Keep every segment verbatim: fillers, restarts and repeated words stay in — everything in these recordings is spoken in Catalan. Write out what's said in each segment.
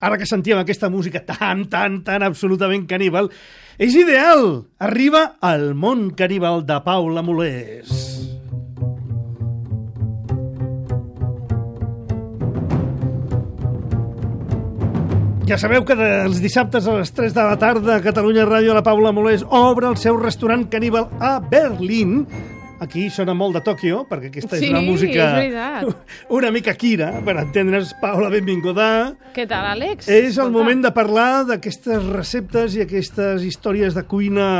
Ara que sentíem aquesta música tan, tan, tan absolutament caníbal, és ideal! Arriba al món caníbal de Paula Molés. Ja sabeu que els dissabtes a les tres de la tarda a Catalunya Ràdio la Paula Molés obre el seu restaurant caníbal a Berlín. Aquí sona molt de Tòquio, perquè aquesta és sí, una música és una mica Kira, per entendre's. Paula, benvinguda. Què tal, Àlex? És el Escolta. moment de parlar d'aquestes receptes i aquestes històries de cuina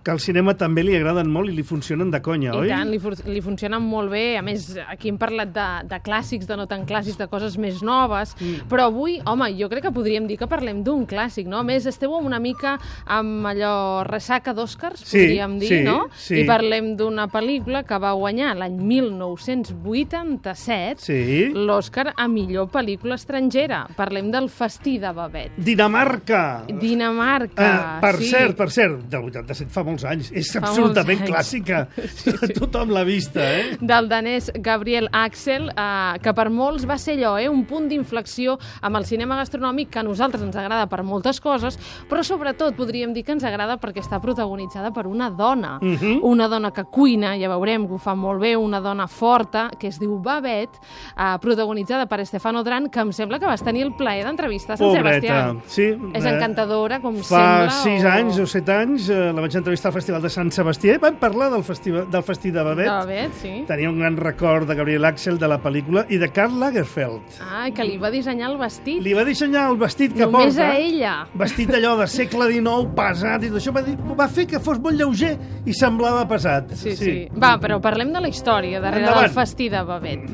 que al cinema també li agraden molt i li funcionen de conya, I oi? I tant, li, li funcionen molt bé. A més, aquí hem parlat de, de clàssics, de no tan clàssics, de coses més noves, mm. però avui, home, jo crec que podríem dir que parlem d'un clàssic, no? A més, esteu una mica amb allò ressaca d'Oscars, sí, podríem dir, sí, no? Sí. I parlem d'una pel·lícula que va guanyar l'any mil nou-cents vuitanta-set sí. l'Oscar a millor pel·lícula estrangera. Parlem del Festí de Babet. Dinamarca! Dinamarca, uh, per sí. cert, per cert, del vuitanta-set fa molts anys. És Fa absolutament anys. clàssica. Sí, sí. Tothom l'ha vista, eh? Del danès Gabriel Axel, eh, que per molts va ser allò, eh, un punt d'inflexió amb el cinema gastronòmic que a nosaltres ens agrada per moltes coses, però sobretot podríem dir que ens agrada perquè està protagonitzada per una dona. Uh-huh. Una dona que cuina, ja veurem que ho fa molt bé, una dona forta, que es diu Babet, eh, protagonitzada per Stefano Dran, que em sembla que vas tenir el plaer d'entrevistar a Sant Pobreta, Sebastià. sí. És encantadora, com Fa sembla. Fa sis o... anys o set anys eh, la vaig entrevistar al Festival de Sant Sebastià i vam parlar del, festiva, del Festí de Babet. De Babet, sí. Tenia un gran record de Gabriel Axel de la pel·lícula i de Karl Lagerfeld. Ah, que li va dissenyar el vestit. Li va dissenyar el vestit que Només porta. a ella. Vestit allò de segle dinou, pesat, i tot això va, dir, va fer que fos molt lleuger i semblava pesat. Sí, sí, sí. Va, però parlem de la història darrere Endavant. del Festí de Babet.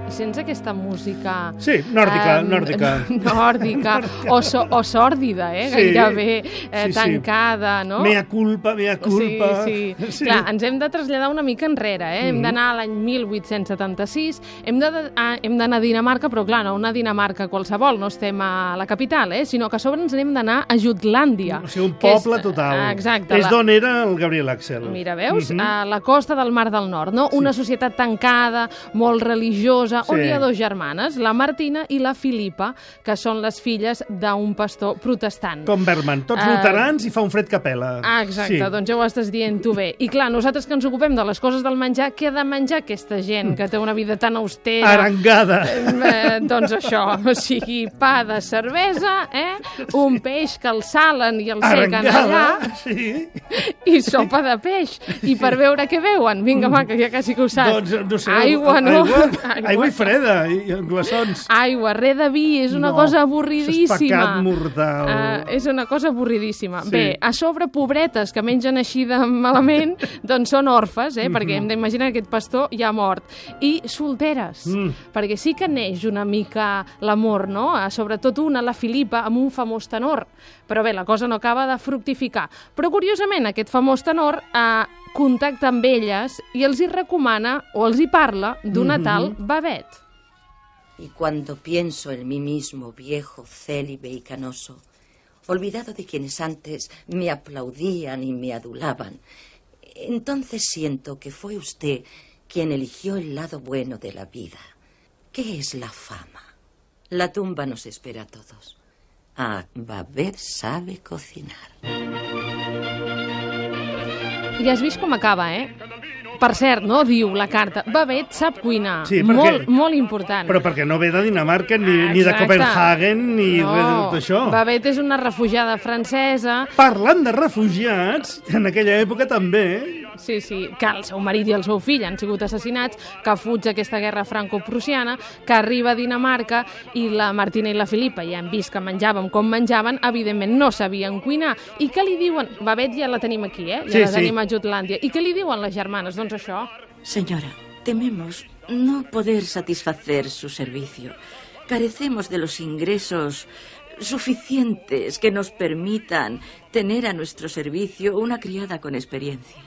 I sense aquesta música... Sí, nòrdica, eh, nòrdica. Nòrdica, o, so, o sòrdida, eh? Sí, Gairebé eh, sí, sí. tancada, no? Mea culpa, mea culpa. Sí, sí. Sí. Clar, ens hem de traslladar una mica enrere, eh? Hem Mm. d'anar a l'any mil vuit-cents setanta-sis, hem de- ah, hem d'anar a Dinamarca, però clar, no una Dinamarca qualsevol, no estem a la capital, eh? Sinó que a sobre ens n'hem d'anar a Jutlàndia. O sigui, un que és- poble total. Exacte. És la- d'on era el Gabriel Axel. Mira, veus? Mhm. A la costa del Mar del Nord, no? Una societat tancada, molt religiosa, on Sí. hi ha dos germanes, la Martina i la Filipa, que són les filles d'un pastor protestant. Com Berman, tots Eh, luterans i fa un fred que pela. Ah, exacte, Sí. doncs ja ho estàs dient tu bé. I clar, nosaltres que ens ocupem de les coses del menjar, què ha de menjar aquesta gent que té una vida tan austera? Arengada. Eh, doncs això, o sigui, pa de cervesa, eh? Un peix que el salen i el sequen Arengada, allà, sí. i sopa de peix. I per veure què veuen, vinga, va, que ja quasi que ho saps. Doncs, no sé, Aigua, no? Aigua, aigua i freda, i, i glaçons. Aigua, res de vi, és una No, cosa això avorridíssima. és pecat mortal. Uh, és una cosa avorridíssima. Sí. Bé, a sobre, pobretes que mengen així de malament, doncs són orfes, eh? Mhm. Perquè hem d'imaginar que aquest pastor ja ha mort. I solteres, Mm. perquè sí que neix una mica l'amor, no? Uh, sobretot una, la Filipa, amb un famós tenor. Però bé, la cosa no acaba de fructificar. Però curiosament, aquest famós tenor uh, contacta amb elles i els hi recomana, o els hi parla, d'una Mhm. tal Babet. Y cuando pienso en mí mismo, viejo, célibe y canoso, olvidado de quienes antes me aplaudían y me adulaban, entonces siento que fue usted quien eligió el lado bueno de la vida. ¿Qué es la fama? La tumba nos espera a todos. Ah, Babet sabe cocinar. I has vist com acaba, eh? Per cert, no? Diu la carta, Babet sap cuinar. Sí, perquè- molt, molt important. Però perquè no ve de Dinamarca, ni, ni de Exacte. Copenhagen, ni no, res de tot això. Babet és una refugiada francesa. Parlant de refugiats, en aquella època també, Sí, sí, que el seu marit i el seu fill han sigut assassinats, que fuig aquesta guerra franco-prussiana, que arriba a Dinamarca i la Martina i la Filipa ja han vist que menjàvem com menjaven, evidentment no sabien cuinar. I què li diuen? Babet ja la tenim aquí, eh? Ja Sí, la sí. tenim a Jutlàndia. I què li diuen les germanes? Doncs això. Señora, tememos no poder satisfacer su servicio. Carecemos de los ingresos suficientes que nos permitan tener a nuestro servicio una criada con experiencia.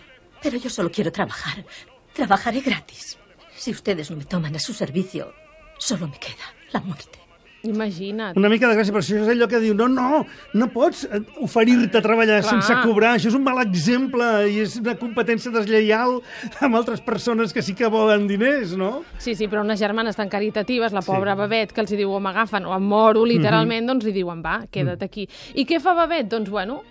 Pero yo solo quiero trabajar. Trabajaré gratis. Si ustedes no me toman a su servicio, solo me queda la muerte. Imagina't. Una mica de gràcia, però això és allò que diu no, no, no pots oferir-te a treballar Clar. sense cobrar, això és un mal exemple i és una competència deslleial amb altres persones que sí que volen diners, no? Sí, sí, però unes germanes tan caritatives, la pobra sí. Babet, que els hi diu o m'agafen o em moro, literalment, mm-hmm. doncs li diuen va, queda't aquí. I què fa Babet? Doncs, bueno,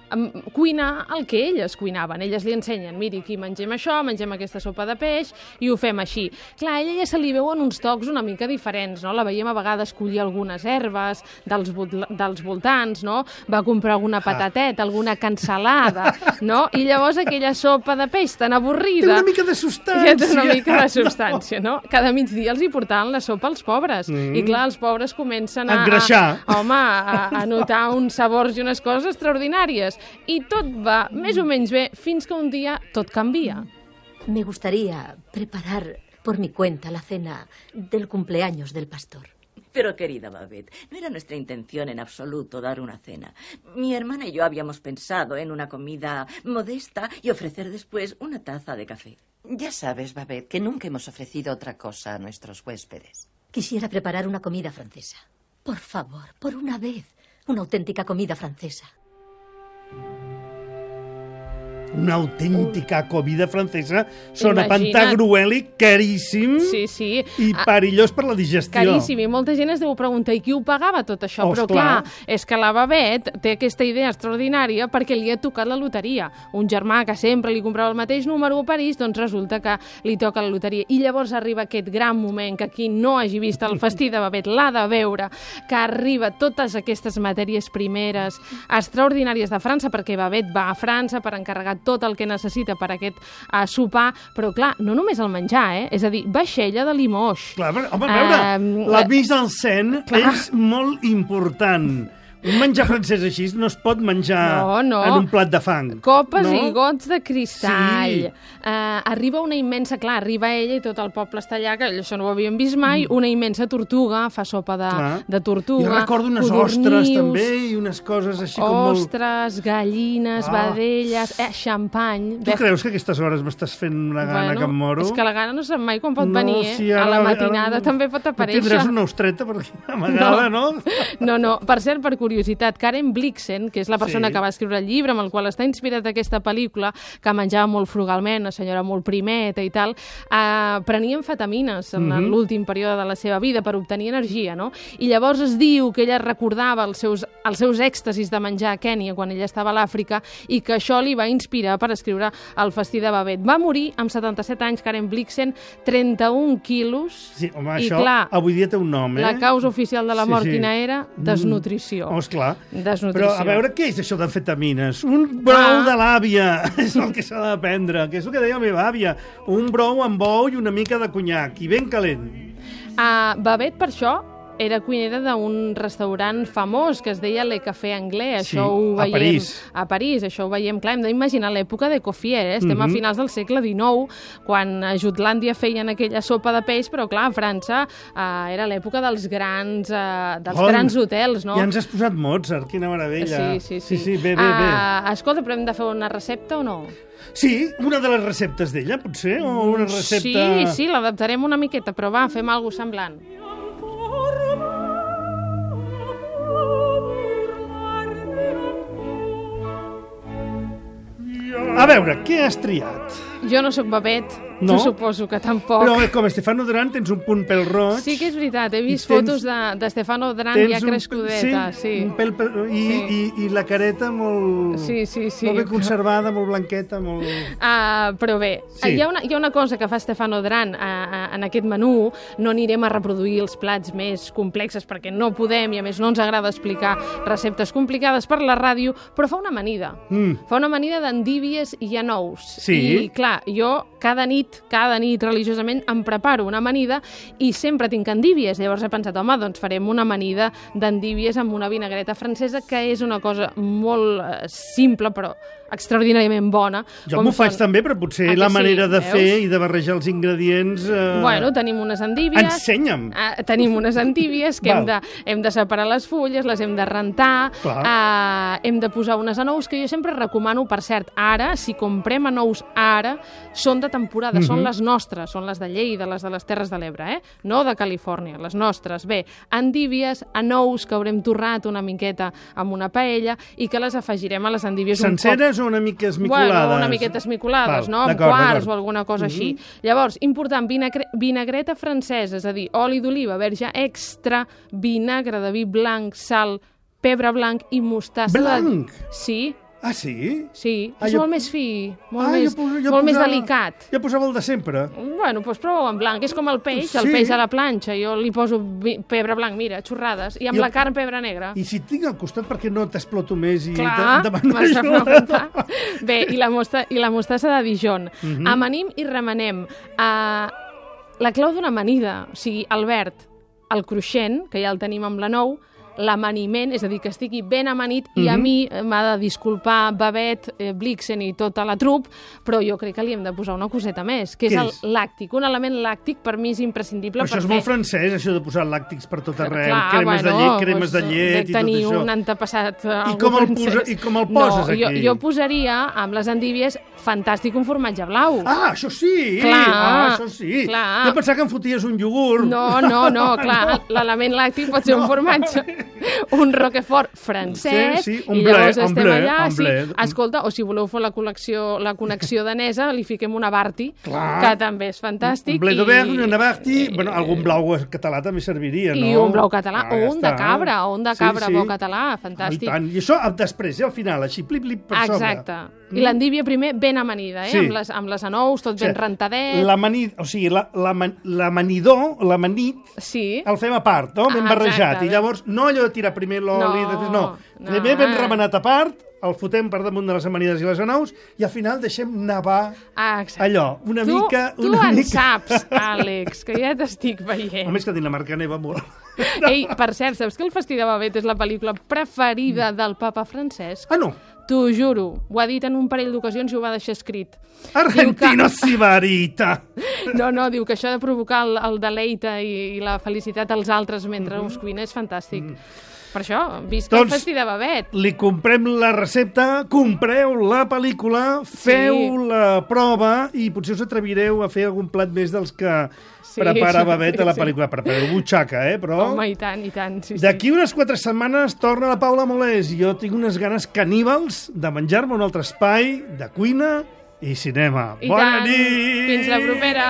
cuinar el que elles cuinaven. Elles li ensenyen, miri, aquí mengem això, mengem aquesta sopa de peix i ho fem així. Clar, a ella ja se li veuen uns tocs una mica diferents, no? La veiem a vegades collir algunes herbes dels, dels voltants, no? Va comprar alguna patateta, alguna cansalada, no? I llavors aquella sopa de peix tan avorrida... Té una mica de substància. Ja té una mica de substància, no? Cada migdia els hi portaven la sopa als pobres. Mm. I clar, els pobres comencen a... Engreixar. A, home, a, a notar uns sabors i unes coses extraordinàries. I tot va més o menys bé fins que un dia tot canvia. Me gustaría preparar por mi cuenta la cena del cumpleaños del pastor. Pero, querida Babet, no era nuestra intención en absoluto dar una cena. Mi hermana y yo habíamos pensado en una comida modesta y ofrecer después una taza de café. Ya sabes, Babet, que nunca hemos ofrecido otra cosa a nuestros huéspedes. Quisiera preparar una comida francesa. Por favor, por una vez, una auténtica comida francesa. Una autèntica comida francesa sona pantagruèlic, caríssim sí, sí. i perillós per la digestió. Caríssim, i molta gent es deu preguntar i qui ho pagava tot això? Oh, però clar. clar, és que la Babet té aquesta idea extraordinària perquè li ha tocat la loteria. Un germà que sempre li comprava el mateix número a París, doncs resulta que li toca la loteria. I llavors arriba aquest gran moment que qui no hagi vist el festí de Babet l'ha de veure, que arriba totes aquestes matèries primeres extraordinàries de França, perquè Babet va a França per encarregar tot el que necessita per aquest uh, sopar, però clar, no només el menjar, eh? És a dir, vaixella de Limoges. Clar, però, home, a veure, uh, la mise en scène és molt important. Un menjar francès així no es pot menjar no, no. en un plat de fang. Copes no? i gots de cristall. Sí. Uh, arriba una immensa... Clar, arriba ella i tot el poble està allà, que això no ho havíem vist mai, una immensa tortuga, fa sopa de, de tortuga. Jo recordo unes codornius, ostres també i unes coses així com molt... Ostres, gallines, ah. vedelles, eh, xampany... Tu Bef... creus que a aquestes hores m'estàs fent una gana bueno, que em moro? És que la gana no sap mai quan pot no, venir, eh? Si ara, a la matinada ara, també pot aparèixer. No tindràs una ostreta per aquí amagada, no? No, no, no. Per cert, per curiositat, Karen Blixen, que és la persona sí. que va escriure el llibre amb el qual està inspirat aquesta pel·lícula, que menjava molt frugalment, una senyora molt primeta i tal, eh, prenia amfetamines en mm-hmm. l'últim període de la seva vida per obtenir energia, no? I llavors es diu que ella recordava els seus, els seus èxtasis de menjar a Kènia quan ella estava a l'Àfrica i que això li va inspirar per escriure El festí de Babet. Va morir amb setanta-set anys, Karen Blixen, trenta-un quilos. Sí, home, i això clar, avui dia té un nom, eh? La causa oficial de la mort sí, sí. quina era? Desnutrició. Mm. Oh, esclar. Desnutrició. Però a veure què és això d'amfetamines? Un brou ah. de l'àvia és el que s'ha de prendre, que és el que deia la meva àvia. Un brou amb ou i una mica de conyac, i ben calent. Uh, Babet, per això, era cuinera d'un restaurant famós que es deia Le Café Anglais. Sí, això ho veiem, a París. A París, això ho veiem, clar, hem d'imaginar l'època de Coffier, eh? Estem mm-hmm. a finals del segle dinou, quan a Jutlàndia feien aquella sopa de peix, però clar, a França eh, era l'època dels grans eh, dels oh, grans hotels, no? Ja ens has posat Mozart, quina meravella. Sí, sí, sí. sí, sí bé, bé, bé. Uh, escolta, però hem de fer una recepta o no? Sí, una de les receptes d'ella, potser, o una recepta... Sí, sí, l'adaptarem una miqueta, però va, fem alguna cosa semblant. A veure, què has triat? Jo no sóc Babet, no? tu suposo que tampoc. Però com Stefano Duran tens un punt pel roig. Sí que és veritat, he vist tens, fotos de, de Stefano Duran ja crescudeta. Sí, sí. un pèl, pel, i, sí. i, i la careta molt, sí, sí, sí, molt ben conservada, molt blanqueta, molt... Uh, però bé, sí. hi, ha una, hi ha una cosa que fa Stefano Duran uh, uh, en aquest menú, no anirem a reproduir els plats més complexes perquè no podem i a més no ens agrada explicar receptes complicades per la ràdio, però fa una amanida. Mm. Fa una amanida d'endívies i anous. Sí. I clar, jo cada nit, cada nit religiosament em preparo una amanida i sempre tinc endívies. Llavors he pensat, home, doncs farem una amanida d'endívies amb una vinagreta francesa, que és una cosa molt eh, simple, però extraordinàriament bona. Jo m'ho faig també, però potser la manera sí, de veus? fer i de barrejar els ingredients... Eh... Bueno, tenim unes endívies... Ensenya'm! Eh, tenim unes endívies que hem de, hem de separar les fulles, les hem de rentar, eh, hem de posar unes anous, que jo sempre recomano, per cert, ara, si comprem anous ara, són de temporada. que són les nostres, són les de Lleida, les de les Terres de l'Ebre, eh? No de Califòrnia, les nostres. Bé, endívies, anous que haurem torrat una miqueta amb una paella i que les afegirem a les endívies un poc... Senceres o una mica esmicolades? Bueno, una miqueta esmicolades, no? Amb quarts o alguna cosa així. Llavors, important, vinagre vinagreta francesa, és a dir, oli d'oliva, verge extra, vinagre de vi blanc, sal, pebre blanc i mostassa... Blanc? De... Sí. Ah, sí? Sí, ah, és jo... molt més fi, molt, ah, més, jo, jo molt posava... més delicat. Jo posava el de sempre. Bueno, doncs prova en blanc, és com el peix, sí. el peix a la planxa, jo li poso pebre blanc, mira, xorrades, i amb jo... la carn pebre negre. I si et tinc al costat, per què no t'exploto més i Clar, m'has de preguntar. Bé, i la, mosta, i la mostassa de Dijon. Uh -huh. Amanim i remenem. Uh, la clau d'una amanida, o sigui, Albert, el cruixent, que ja el tenim amb la nou, l'amaniment, és a dir, que estigui ben amanit, uh -huh. i a mi m'ha de disculpar Babet, eh, Blixen i tota la trup, però jo crec que li hem de posar una coseta més, que és, és el làctic. Un element làctic per mi és imprescindible. Però això per és fer... molt francès, això de posar làctics per tot arreu, Clar, cremes bueno, de llet, cremes doncs, de llet i tot tenir això. un antepassat I com, el posa, I com el poses no, aquí? Jo, jo posaria amb les endívies fantàstic un formatge blau. Ah, això sí! Clar, ah, això sí! Clar. Jo pensava que em foties un iogurt. No, no, no, clar, no. L'element làctic pot ser no. un formatge, un Roquefort francès, sí, sí, i llavors blé, estem blé, allà. Sí, blé. escolta, o si voleu fer la col·lecció, la connexió danesa, li fiquem una Barti, clar. que també és fantàstic. Un blé d'Auvergne, una Barti, i, bueno, algun blau català també serviria, no? I un blau català, ah, o ja un de està. cabra, o un de cabra sí, sí. bo català, fantàstic. Ah, i, I això després, eh, al final, així, plip-plip per sobre. Exacte. I l'endívia primer ben amanida, eh? Sí. Amb, les, amb les anous, tot o sigui, ben rentadet. L'amanid, o sigui, l'amanidor, l'amanit, sí. el fem a part, no? Ben ah, barrejat. Exacte. I llavors, no allò de tirar primer l'oli, No, després no. no. Primer ben remenat a part, el fotem per damunt de les amanides i les anous, i al final deixem nevar ah, allò, una tu, mica... Tu una en mica... saps, Àlex, que ja t'estic veient. A més que a Dinamarca neva molt. Ei, per cert, saps que El Festí de Babet és la pel·lícula preferida del papa Francesc? Ah, no? T'ho juro, ho ha dit en un parell d'ocasions i ho va deixar escrit. Argentino que... sibarita! No, no, diu que això de provocar el, el deleite i, i la felicitat als altres mentre mm -hmm. us cuina és fantàstic. Mm. Per això, visca doncs, el Festí de Babet. Li comprem la recepta, compreu la pel·lícula, feu sí. la prova i potser us atrevireu a fer algun plat més dels que sí, prepara Babet a la pel·lícula. Sí. Prepareu butxaca, eh? Però... Home, i tant, i tant. Sí, D'aquí sí. unes quatre setmanes torna la Paula Molés. Jo tinc unes ganes caníbals de menjar-me un altre espai de cuina i cinema. I Bona tant. nit! Fins la propera!